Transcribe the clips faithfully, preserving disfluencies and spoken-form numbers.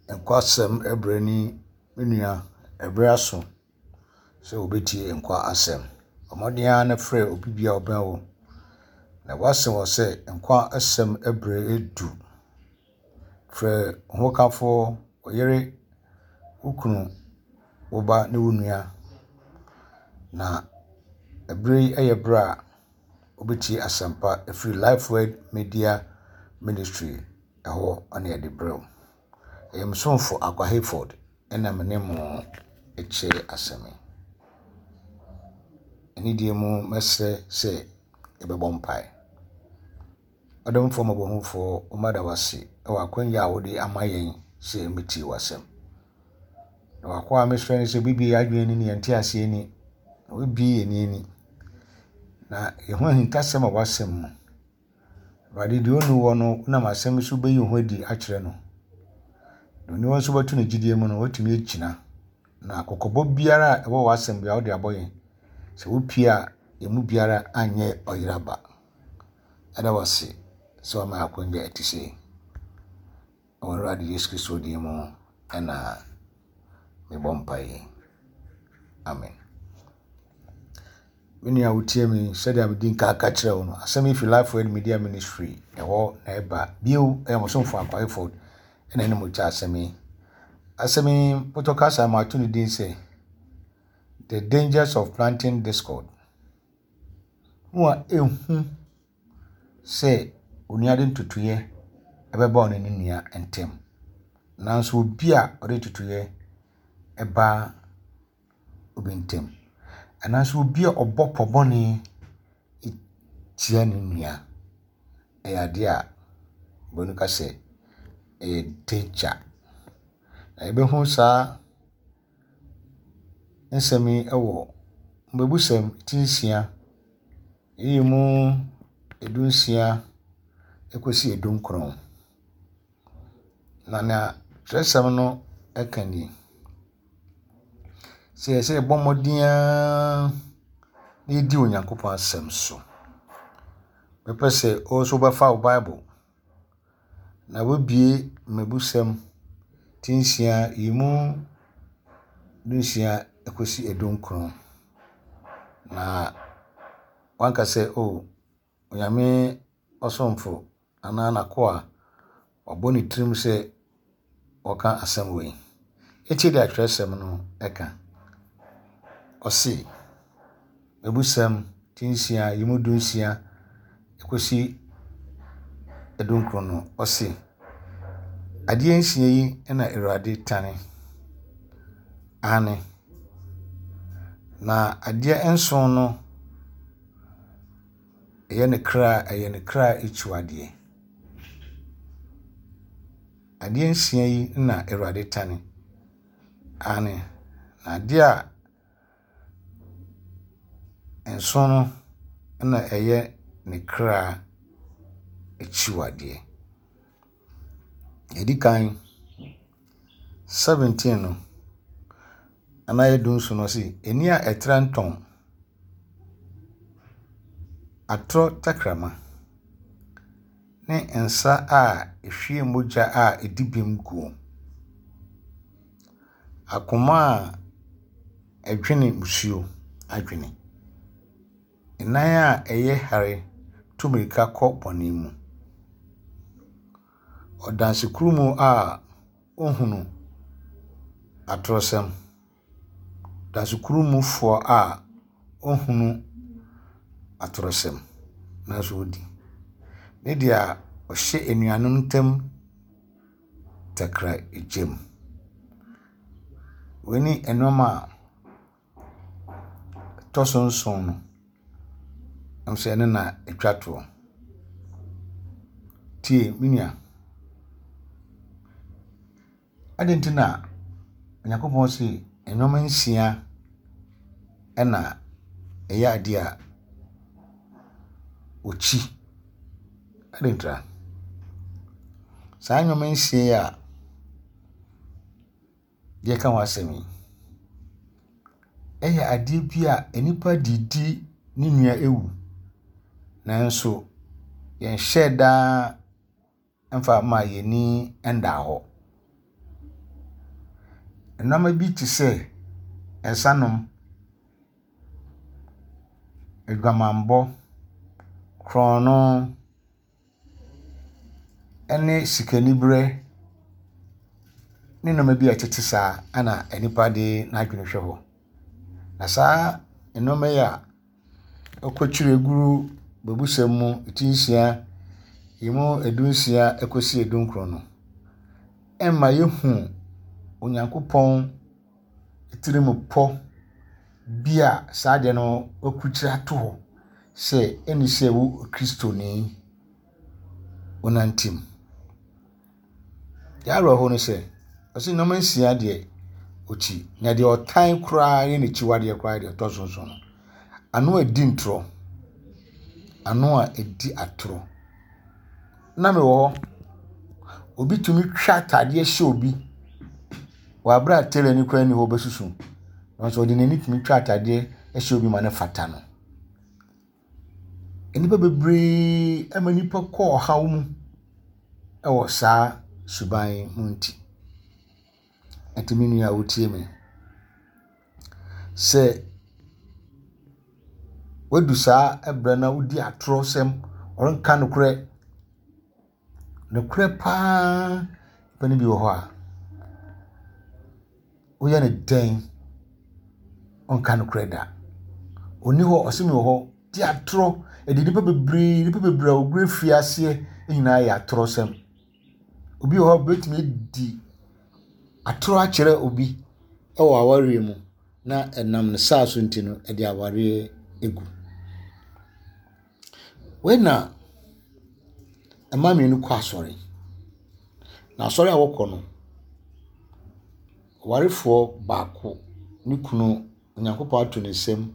Nkwa asɛm brɛ ni me nua, ɛberɛ aso sɛ wobɛtie nkwa asɛm. Bɔ mmɔden ara na frɛ obi biara a ɔbɛn wo. Na woase wɔ sɛ nkwa asɛm berɛ adu. Frɛ wo hokafoɔ, wo yere, wo kunu, wo ba ne wo nua. Na ɛberɛ yi yɛ berɛ a wobɛtie asɛmpa ɛfiri Life Word Media Ministry ɛhɔ na yɛde brɛ wo. Ɛyɛ me somfo Akwa Hayford ɛna me ne mo kyɛ asɛm yi. Anidie mu mɛsrɛ sɛ yɛbɛbɔ mpae. Ɔdomfoɔ mmɔborɔhunufoɔ, woma da wo ase wɔ akwanya a wode ama yɛn sɛ yɛmmɛtie w'asɛm. Na w'akoa a mesrɛ no sɛ wobɛbue yɛn adwene ani ne yɛn nteaseɛ ani, na wobɛbue yɛn ani na yɛho ahintasɛm a w'asɛm mu. Awurade deɛ ɔnni hɔ no, wonam asɛm so bɛyi wo ho adi akyerɛ no. Deɛ ɔnni hɔ nso bɛto ne gyidie mu no, watumi agyina. Na kɔkɔbɔ biara a ɛwɔ w'asɛm biara wode abɔ yɛn. Sɛ wopue a, yɛn mu biara anyɛ ɔyeraba. Ɛda wo ase sɛ wama yɛn akwanya a ɛte sei. Wɔ Awurade Yesu Kristo din mu ɛna mebɔ mpaeɛ. Amen. Me nua wotie me sɛdeɛ medi nka aka kyerɛ wo no, asɛm yi fi Life Word Media Ministry ɛhɔ na ɛba. Bio ɛyɛ mo somfo Akwa Hayford ɛna ɛne mo kyɛ asɛm yi. Asɛm yi pɔtɔ kasa ma ato ne din sɛ The Dangers of Planting Discord. Ho a ehu sɛ onua de ntotoeɛ ɛbɛba ɔne ne nua ntam. Nanso obi a ɔde ntotoeɛ ɛba obi ntam. Anaasɛ obi a ɔbɔ pɔ bɔne tia ne nua. Ɛyɛ adeɛ a oburoni ka sɛ ɛyɛ danger. Na yɛbɛhu saa nsɛm yi wɔ mmebusɛm ti nsia, eyi mu edu nsia kɔsi edu nkron. Na nea twerɛsɛm no ka nie. Sɛ yɛsɛ yɛbɔ mmɔden ara na yɛdi Onyankopɔn asɛm so. Mepɛ sɛ wo nso wobɛfa wo Bible na woabue mmebusɛm ti nsia yi mu du nsia kɔsi edu nkron. Na wanka sɛ o Onyame ɔsomfo anaa n'akoa wabɔ ne tirim sɛ ɔka asɛm wei. Etie deɛ atwerɛsɛm no ɛka. Ɔse, mmebusɛm ti nsia yi mu du nsia kɔsi edu nkron no, ɔse, adeɛ nsia yi na Awurade tane. Aane. Na adeɛ nson no ɛyɛ ne kra ɛyɛ ne kra akyiwadeɛ. Adeɛ nsia yi na Awurade tane. Aane. Na adeɛ a nson no na ɛyɛ ne kra akyiwadeɛ. Edi kan, seventeen no, anaa yɛ du nson no ɔse, ani a ɛtra ntɔn, atorɔ tɛkrɛma ne nsa a ehwie mogya a edi bem guo. Akoma a ɛdwene musuo adwene. Nan a ɛyɛ hare tu mmirika kɔ bɔne mu. Ɔdansekurumu a ohunu atorɔsɛm. Dansekurumfoɔ a ohunu atorɔsɛm nanso odi. Ne deɛ ɔhyɛ anuanom ntam takra gyam. Wei ne nneɛma a ɛtɔ so nson no, nso ɛno na etwa toɔ. Tie me nua. Adɛn nti na Onyankopɔn se nneɛma nsia ɛna ɛyɛ adeɛ a ɔkyi? Adɛn ntira? Saa nneɛma nsia yi a yɛka ho asɛm yi, ɛyɛ adeɛ bi a nnipa de di ne nua ewu. Nanso yɛnhyɛɛ daa mfa mma yɛn ani nda hɔ. Nneɛma bi te sɛ nsanom, adwamammɔ, korɔno ne sikaniberɛ ne nneɛma bi a ɛtete saa na nnipa de n'adwene hwɛ hɔ. Na saa nneɛma yi a wɔakyekyere agu mmebusɛm mu ti nsia, emu dunsia kɔsi dunkron no, ɛma yɛhu Onyankopɔn tirimupɔ bi a saa adeɛ no wɔakurukyire ato hɔ sɛ ɛne sɛ wo Kristoni wonante mu. Deɛ awerɛho ne sɛ, ɔse nneɛma nsia deɛ ɔkyi, na deɛ ɔtan koraa ne n'akyiwadeɛ koraa deɛ ɛtɔ so nson no, ano a ɛdi ntorɔ, ano a ɛdi atorɔ. Na mewɔ hɔ, obi tumi twa ataadeɛ hyɛ obi wɔ abere a tailor no koraa nni hɔ ɔbɛsusu. Nanso ɔde n'ani tumi twa ataadeɛ hyɛ obi ma no fata no. Nnipa bebree ama nnipa kɔ ɔhaw mu wɔ saa suban yi mu nti. Nti me nua a wotie me, sɛ woadu saa berɛ na wodi atorɔsɛm, ɔrenka nokorɛ, nokorɛ paa nipa no bi wɔ hɔ a, woyɛ no dɛn, ɔnka nokorɛ da. Ɔnni hɔ, ɔse mewɔ hɔ, di atorɔ. Ɛde nnipa bebree, nnipa bebree a wɔgu afiaseɛ nyinaa yɛ atorɔsɛm. Obi wɔ hɔ a obetumi adi atorɔ akyerɛ obi wɔ awareɛ mu na ɛnam ne saa so nti no, ɛde awareɛ egu. Wei na mmaa mmienu kɔ asɔre. Na asɔre a wɔkɔ no, ɔwarefoɔ baako ne kunu Onyankopɔn ato ne nsam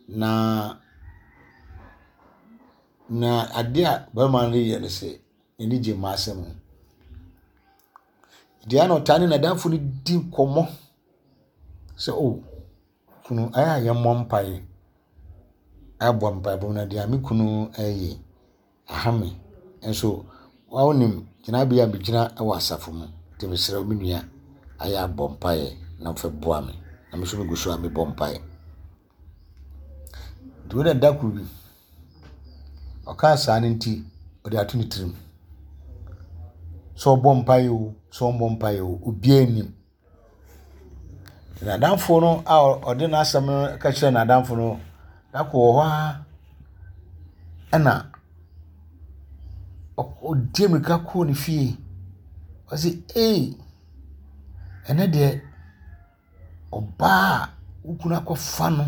na na adeɛ a barima no reyɛ ne sɛ n'ani gye mmaa asɛm ho. Deɛ na ɔtaa ne n'adamfo no di nkɔmmɔ sɛ o kunu ayɛ a yɛmmɔ mpaeɛ. Abɔ mpaebɔ na deɛ me kunu ɛreyɛ aha me. Nso wonim gyinabea a megyina wɔ asafo mu nti mesrɛ wo me nua ayɛ abɔ mpaeɛ na fa boa me. Na me nso megu so a mebɔ mpaeɛ. Nti wei na da koro bi, ɔkaa saa no nti, ɔde ato ne tirim. Sɛ ɔbɔ mpaeɛ o, sɛ ɔmmɔ mpaeɛ o, obiara nnim. N'adamfo no a ɔde n'asɛm no ka kyerɛɛ n'adamfo no, da koro wɔ hɔ ara ɛna ɔdi mmirika kɔɔ ne fie. Ɔse ei, ɛnnɛ deɛ ɔbaa a wo kunu akɔfa no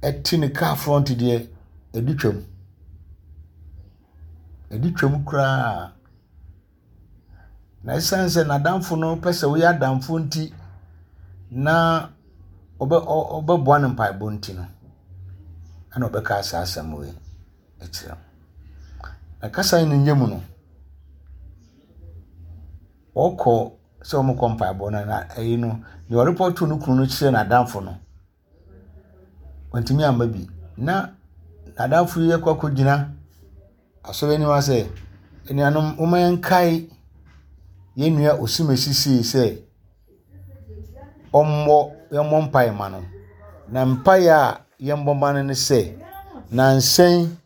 ɛte ne kaa front deɛ, ɛdi twam. Ɛdi twam koraa. Na ɛsiane sɛ n'adamfo no pɛ sɛ woyɛ adamfo nti na ɔbɛ ɔbɛboa no mpaebɔ nti no, ɛna ɔbɛka saa asɛm wei akyerɛ no. Na kasa yi ne nyɛ mu no, ɔkɔ sɛ wɔkɔ mpaebɔ no na ɛyi no, deɛ ɔrepɔto no kunu no kyerɛ n'adamfo no, wantumi amma bi. Na n'adamfo yi akɔ akɔgyina asɔre anim ha sɛ, anuanom momma yɛnkae yɛn nua Osimesi sei sɛ ɔmmɔ yɛmmɔ mpaeɛ ma no. Na mpaeɛ a yɛmmɔ ma no ne sɛ, nnansa yi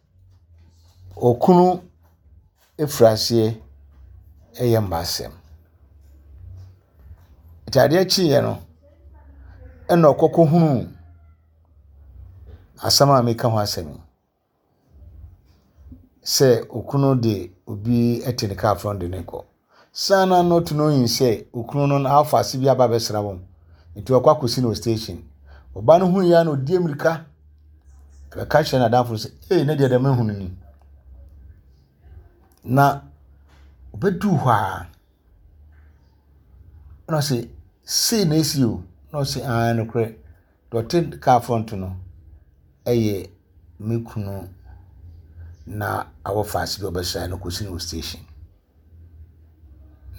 okunu efiri aseɛ ɛyɛ mmaasɛm. Nti adeɛ kyeeɛ no, ɛna ɔkɔ kɔhunuu asɛm a meka ho asɛm yi. Sɛ okunu de obi te ne kaa front de no rekɔ. Saa na not knowing sɛ okunu no n'afa ase bi aba abɛsra wɔn. Nti ɔkɔ akɔsi no wɔ station. Ɔbaa no hui ya na ɔdi mmirika bɛka kyerɛ n'adamfo no sɛ ei ne deɛ deɛ mahu no ni. Na ɔbɛduu hɔ a, ɛna ɔse sei na esi o. Na ɔse aane nokorɛ. Deɛ ɔte kaa front no ɛyɛ me kunu na awɔfa ase bi a ɔbɛsra no kɔsi no wɔ station.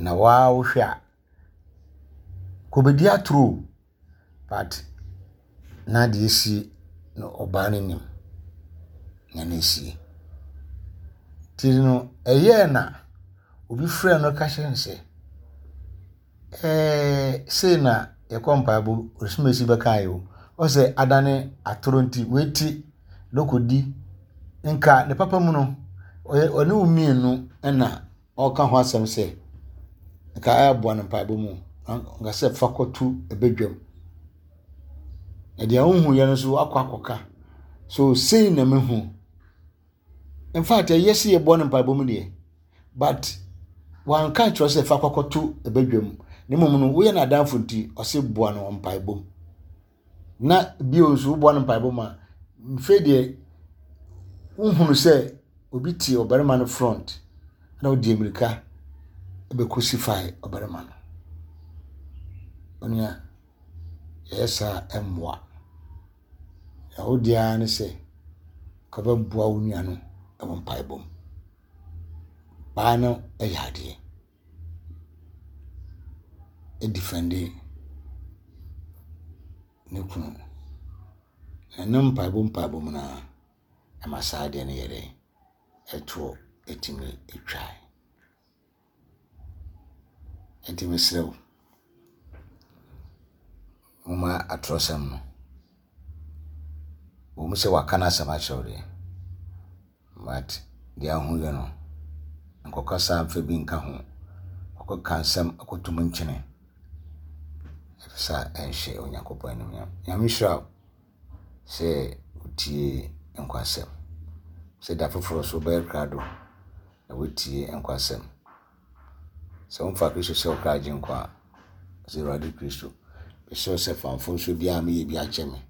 Na waa wohwɛ a, kɔbɛdi atoro o, but na deɛ esi no ɔbaa no nim nea na esie. Nti no ɛyɛɛ na obi frɛɛ no ka kyerɛɛ no sɛ, Ɛɛ sei na yɛkɔ mpaebɔ osumasi bɛka yi o. Ɔsɛ adane atoro nti weeti na ɔkɔdi nka ne papa mu no ɔyɛ ɔne wo mmienu ɛna ɔka ho asɛm sɛ nka ɛboa no mpaebɔ mu nka sɛ fa kɔto ɛbɛdwam. Na deɛ wohu yɛ no nso akɔ akɔka. So sei na mehu. In fact, ɛyɛ sɛ yɛbɔ no mpaebɔ mu deɛ, but wanka kyerɛ sɛ fa kɔkɔto ɛbɛdwam. Na mmom no woyɛ n'adamfo nti ɔse boa no mpaebɔ mu. Na bio nso woboa no mpaebɔ mu a, mfe deɛ wohunu sɛ obi te ɔbarima no front na ɔdi mmirika bɛcrucify ɔbarima no. Onua, yɛyɛ saa ɛmmoa. Na wo deɛ ara ne sɛ ka wobɛboa wo nua no wɔ mpaebɔ mu. Baa no yɛ adeɛ. Ɛdefend ne kunu. Na ne mpaebɔ mpaebɔ mu no ara ɛma saa adeɛ no yɛ dɛn ɛtoɔ ɛtumi ɛtwae. Nti mesrɛ wo, momma atorɔsɛm no wɔn mu sɛ waka n'asɛm akyerɛ wo deɛ, but deɛ ahu yɛ no nkɔkasa mfa bi nka ho. Ɔkɔka nsɛm akɔtum nkyene. Ɛfiri ɛnhyɛ Onyankopɔn animuonyam. Nyame nhyira wo sɛ wotie nkwasɛm. Sɛ da foforɔ so wobɛyɛ krado na wotie nkwasɛm. Sɛ womfa Kristo sɛ wo kra agyenkwa a, sɛ Awurade Kristo, mesrɛ wo sɛ fa mfomsoɔ biara a meyɛ bi akyɛ me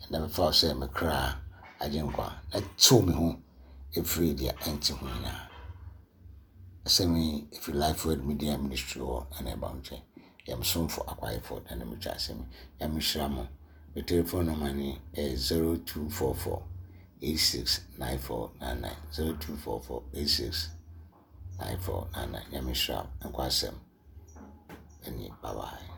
na mefa wo sɛ me kra agyenkwa na tew me ho ɛfiri deɛ ɛnte ho nyinaa. Asɛm yi ɛfiri Life Word Media Ministry hɔ ɛna ɛba wo nkyɛn. Yɛm somfo akwayɛfoɔ ɛna metwa asɛm yi. Nyame nhyira mo. Me telephone number ni ɛyɛ zero two four four eight six nine four nine nine zero two four four eight six nine four nine nine. Nyame nhyira wo. Nkwa asɛm. Ɛne bye bye.